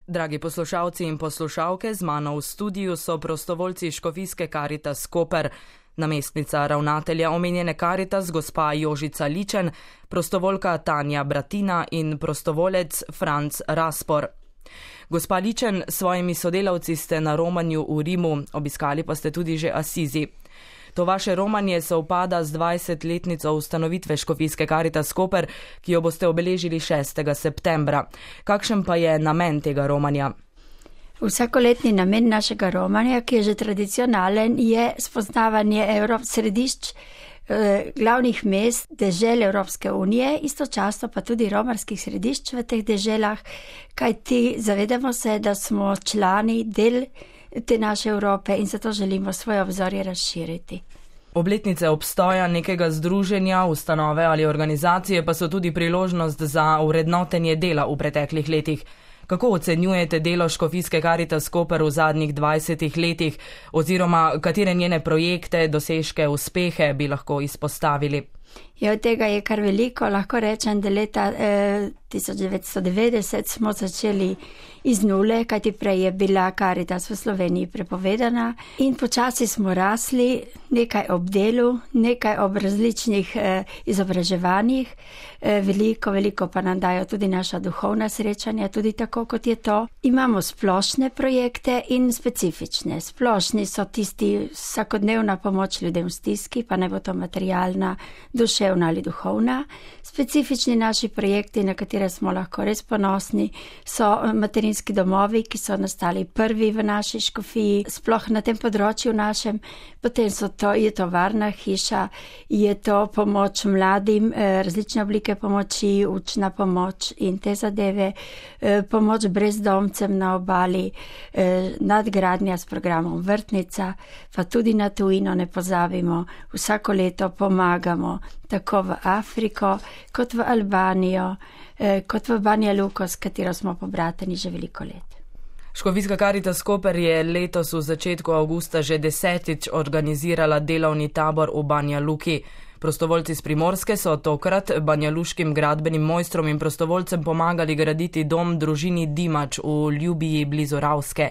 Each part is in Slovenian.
Dragi poslušalci in poslušalke, z mano v studiu so prostovoljci Škofijske Karitas Koper, namestnica ravnatelja omenjene Karitas gospa Jožica Ličen, prostovoljka Tanja Bratina in prostovolec Franc Raspor. Gospa Ličen, s svojimi sodelavci ste na romanju v Rimu, obiskali pa ste tudi že Asizi. To vaše romanje sovpada z 20-letnico ustanovitve Škofijske Karitas Koper, ki jo boste obeležili 6. septembra. Kakšen pa je namen tega romanja? Vsakoletni namen našega romanja, ki je že tradicionalen, je spoznavanje središč glavnih mest dežel Evropske unije, istočasno pa tudi romarskih središč v teh deželah, kajti zavedamo se, da smo člani del te naše Evrope in zato želimo svoje obzorje razširiti. Obletnice obstoja nekega združenja, ustanove ali organizacije pa so tudi priložnost za vrednotenje dela v preteklih letih. Kako ocenjujete delo Škofijske Karitas Koper v zadnjih 20 letih oziroma katere njene projekte, dosežke, uspehe bi lahko izpostavili? Od tega je kar veliko. Lahko rečem, da leta 1990 smo začeli iz nule, kajti prej je bila Karitas v Sloveniji prepovedana in počasi smo rasli, nekaj ob delu, nekaj ob različnih izobraževanjih, veliko pa nam dajo tudi naša duhovna srečanja, tudi tako kot je to. Imamo splošne projekte in specifične. Splošni so tisti vsakodnevna pomoč ljudem v stiski, pa ne bo to materialna, duševna ali duhovna. Specifični naši projekti, na katere smo lahko res ponosni, so materinski domovi, ki so nastali prvi v naši škofiji, sploh na tem področju našem. Potem je to varna hiša, je to pomoč mladim, različne oblike pomoči, učna pomoč in te zadeve, pomoč brezdomcem na obali, nadgradnja s programom Vrtnica, pa tudi na tujino ne pozabimo, vsako leto pomagamo tako v Afriko, kot v Albanijo, kot v Banja Luko, s katero smo pobrateni že veliko let. Škofijska Karitas Koper je letos v začetku avgusta že 10. organizirala delovni tabor v Banja Luki. Prostovoljci z Primorske so tokrat banjaluškim gradbenim mojstrom in prostovoljcem pomagali graditi dom družini Dimač v Ljubiji blizu Ravske.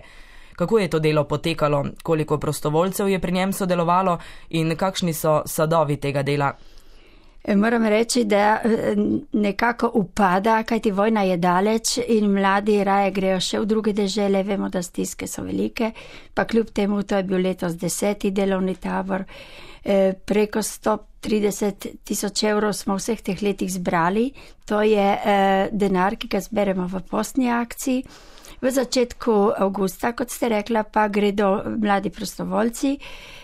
Kako je to delo potekalo, koliko prostovoljcev je pri njem sodelovalo in kakšni so sadovi tega dela? Moram reči, da nekako upada, kajti vojna je daleč in mladi raje grejo še v druge dežele, vemo, da stiske so velike, pa kljub temu to je bil letos 10. delovni tabor. Preko 130.000 evrov smo vseh teh letih zbrali, to je denar, ki ga zberemo v postni akciji. V začetku avgusta, kot ste rekla, pa gredo mladi prostovoljci,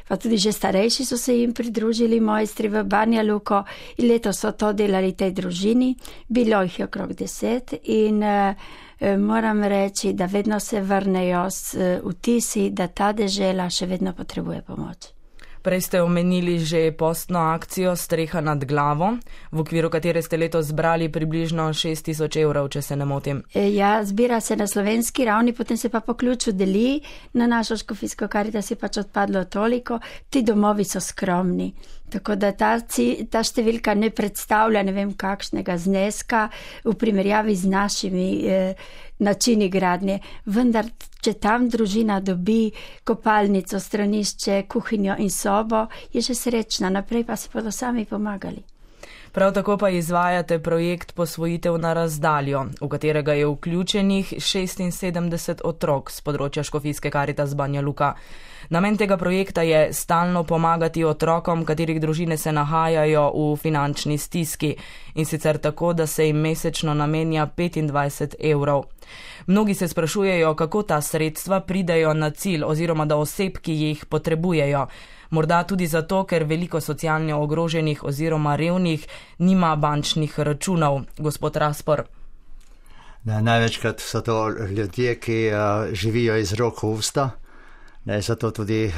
pa tudi že starejši so se jim pridružili mojstri v Banja Luko in letos so to delali tej družini. Bilo jih je okrog 10 in moram reči, da vedno se vrnejo s vtisi, da ta dežela še vedno potrebuje pomoč. Prej ste omenili že postno akcijo Streha nad glavo, v okviru katere ste letos zbrali približno 6.000 evrov, če se ne motim. Ja, zbira se na slovenski ravni, potem se pa po ključu deli, na našo Škofijsko Karitas je pač odpadlo toliko, ti domovi so skromni. Tako da ta številka ne predstavlja ne vem kakšnega zneska v primerjavi z našimi načini gradnje. Vendar, če tam družina dobi kopalnico, stranišče, kuhinjo in sobo, je že srečna, naprej pa se bodo sami pomagali. Prav tako pa izvajate projekt Posvojitev na razdaljo, v katerega je vključenih 76 otrok z področja Škofijske Karitas Banja Luka. Namen tega projekta je stalno pomagati otrokom, katerih družine se nahajajo v finančni stiski, in sicer tako, da se jim mesečno namenja 25 evrov. Mnogi se sprašujejo, kako ta sredstva pridejo na cilj oziroma do oseb, ki jih potrebujejo. Morda tudi zato, ker veliko socialno ogroženih oziroma revnih nima bančnih računov. Gospod Raspor. Največkrat so to ljudje, ki živijo iz rok v usta. Zato tudi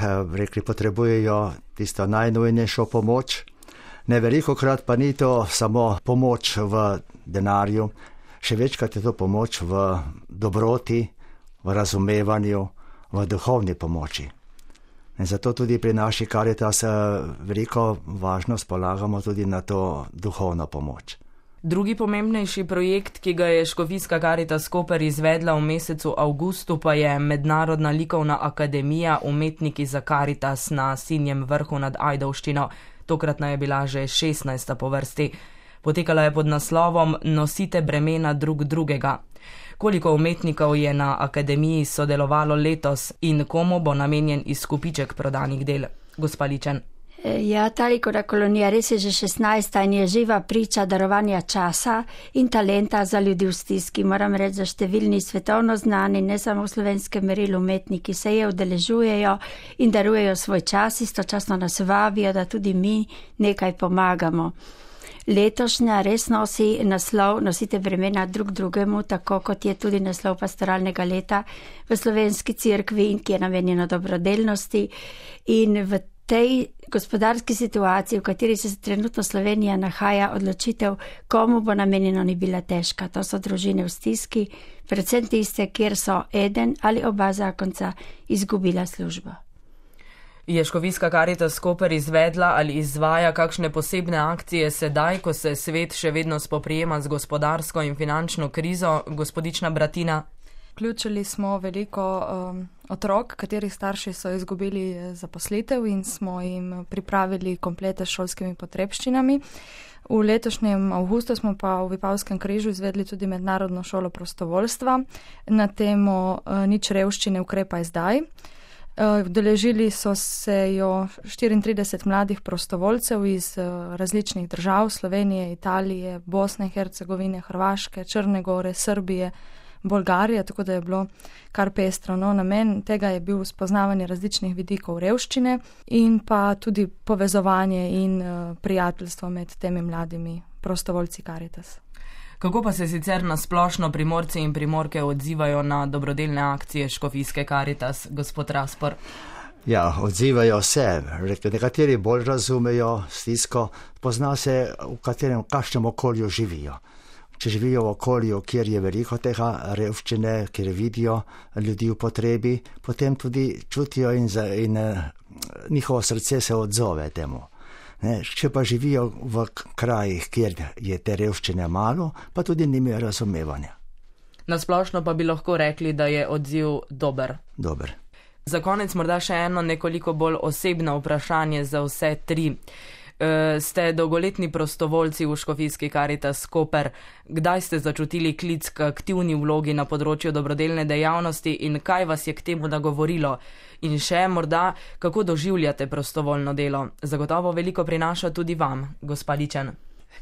potrebujejo tisto najnujnejšo pomoč. Velikokrat pa ni to samo pomoč v denarju, še večkrat je to pomoč v dobroti, v razumevanju, v duhovni pomoči. Zato tudi pri naši Karitas veliko važnost polagamo tudi na to duhovno pomoč. Drugi pomembnejši projekt, ki ga je Škofijska Karitas Koper izvedla v mesecu avgustu, pa je Mednarodna likovna akademija Umetniki za Karitas na Sinjem vrhu nad Ajdovščino. Tokratna je bila že 16. po vrsti. Potekala je pod naslovom Nosite bremena drug drugega. Koliko umetnikov je na akademiji sodelovalo letos in komu bo namenjen izkupiček prodanih del? Gospa Ličen. Ja, ta likovna kolonija res je že 16. in je živa priča darovanja časa in talenta za ljudi v stiski. Moram reči, da številni svetovno znani, ne samo v slovenskem merilu umetniki se je udeležujejo in darujejo svoj čas, istočasno nas vabijo, da tudi mi nekaj pomagamo. Letošnja res nosi naslov Nosite bremena drug drugemu, tako kot je tudi naslov pastoralnega leta v slovenski cerkvi in ki je namenjeno dobrodelnosti. In v tej gospodarski situaciji, v kateri se trenutno Slovenija nahaja, odločitev, komu bo namenjeno, ni bila težka. To so družine v stiski, predvsem tiste, kjer so eden ali oba zakonca izgubila službo. Je Škofijska Karitas Koper izvedla ali izvaja kakšne posebne akcije sedaj, ko se svet še vedno spoprijema z gospodarsko in finančno krizo? Gospodična Bratina. Vključili smo veliko otrok, katerih starši so izgubili zaposlitev in smo jim pripravili komplete s šolskimi potrebščinami. V letošnjem avgustu smo pa v Vipavskem križu izvedli tudi mednarodno šolo prostovoljstva na temo Nič revščine, ukrepaj zdaj. Udeležili so se jo 34 mladih prostovoljcev iz različnih držav, Slovenije, Italije, Bosne in Hercegovine, Hrvaške, Črne Gore, Srbije, Bolgarije, tako da je bilo kar pestro. No, namen tega je bil spoznavanje različnih vidikov revščine in pa tudi povezovanje in prijateljstvo med temi mladimi prostovoljci Karitas. Kako pa se sicer nasplošno Primorci in Primorke odzivajo na dobrodelne akcije Škofijske Karitas, gospod Raspor? Ja, odzivajo se. Nekateri bolj razumejo stisko, pozna se, v kakšnem okolju živijo. Če živijo v okolju, kjer je veliko tega revščine, kjer vidijo ljudi v potrebi, potem tudi čutijo in njihovo srce se odzove temu. Če pa živijo v krajih, kjer je te revščine malo, pa tudi nimajo razumevanja. Nasplošno pa bi lahko rekli, da je odziv dober. Dober. Za konec morda še eno nekoliko bolj osebno vprašanje za vse tri. Ste dolgoletni prostovoljci v Škofijski Karitas Koper. Kdaj ste začutili klic k aktivni vlogi na področju dobrodelne dejavnosti in kaj vas je k temu nagovorilo? In še morda, kako doživljate prostovoljno delo? Zagotovo veliko prinaša tudi vam, gospa Ličen.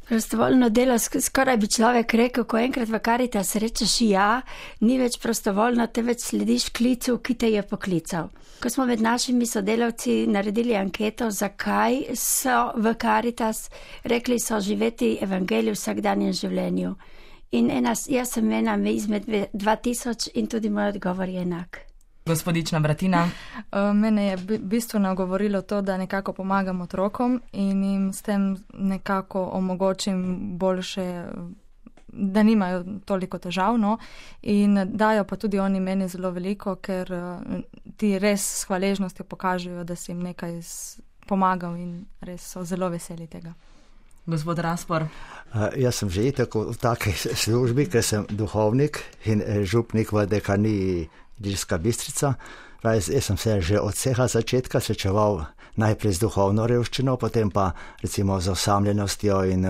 Prostovoljno delo, skoraj bi človek rekel, ko enkrat v Karitas rečeš ja, ni več prostovoljno, te več slediš klicu, ki te je poklical. Ko smo med našimi sodelavci naredili anketo, zakaj so v Karitas, rekli so živeti evangelij v vsakdanjem življenju. In jaz sem ena izmed 2000 in tudi moj odgovor je enak. Gospodična Bratina. Mene je bistveno govorilo to, da nekako pomagam otrokom in jim s tem nekako omogočim boljše, da nimajo toliko težav, no? In dajo pa tudi oni meni zelo veliko, ker ti res s hvaležnostjo pokažejo, da si jim nekaj pomagal in res so zelo veseli tega. Gospod Raspor. Jaz sem že tako v takej službi, ker sem duhovnik in župnik v dekaniji Ilirska Bistrica. Jaz sem se že od vsega začetka srečeval najprej z duhovno revščino, potem pa recimo z osamljenostjo in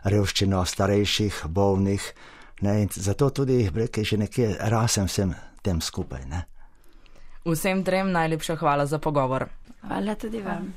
revščino starejših, bolnih. In zato tudi že nekje rasem vsem tem skupaj. Vsem trem najlepša hvala za pogovor. Hvala tudi vam.